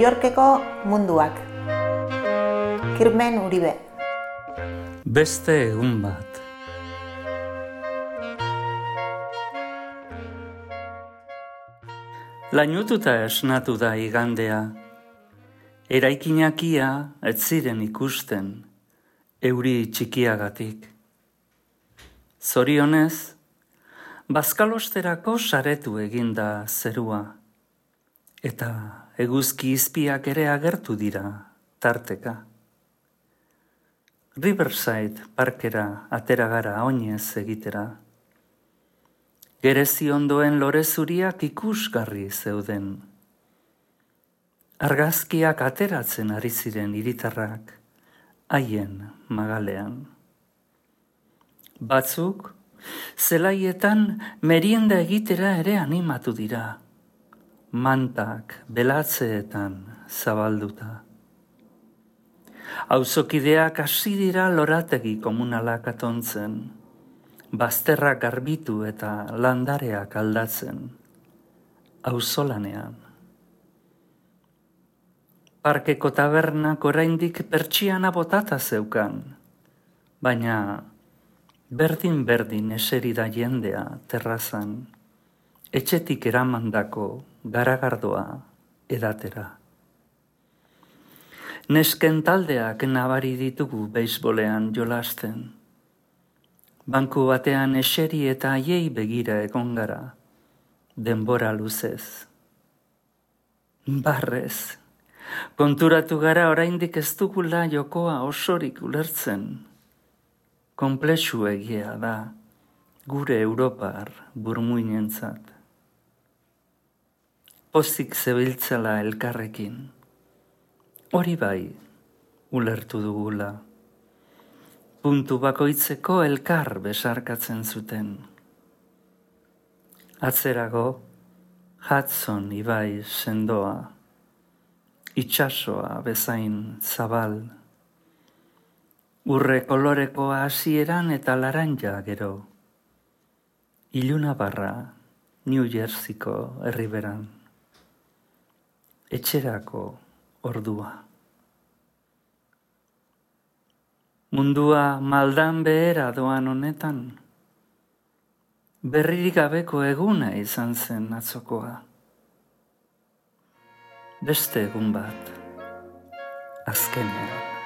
Yorkeko munduak. Kirmen Uribe. Beste egun bat. Lainututa esnatu da igandea. Eraikinakia ez ziren ikusten, euri txikiagatik. Zorionez, bazkalosterako saretu eginda zerua, eta eguzki izpiak ere agertu dira tarteka. Riverside parkera atera gara oinez egitera. Gerezi ondoen lore zuriak ikusgarri zeuden. Argazkiak ateratzen ari ziren hiritarrak haien magalean. Batzuk, zelaietan merienda egitera ere animatu dira, mantak belatzeetan zabalduta. Auzokideak hasi dira lorategi komunalak atontzen, bazterrak garbitu eta landareak aldatzen, auzolanean. Parkeko tabernak oraindik pertsiana botata zeukan, baina berdin eseri da jendea terrazan, etxetik eramandako garagardoa edatera. Nesken taldeak nabari ditugu beisbolean jolasten. Banku batean eseri eta haiei begira egon gara, denbora luzez. Barrez, konturatu gara oraindik ez dugula jokoa osorik ulertzen. Konplexu egia da, gure Europar burmuinentzat. Pozik zebiltzela elkarrekin, hori bai, ulertu dugula. Puntu bakoitzeko elkar besarkatzen zuten. Atzerago, Hudson ibai sendoa, itsasoa bezain zabal, urre kolorekoa hasieran eta laranja gero. Ilunabarra, New Jerseyko herriberan. Etxerako ordua. Mundua maldan behera doan honetan. Berririk gabeko eguna izan zen atzokoa. Beste egun bat, azkenean.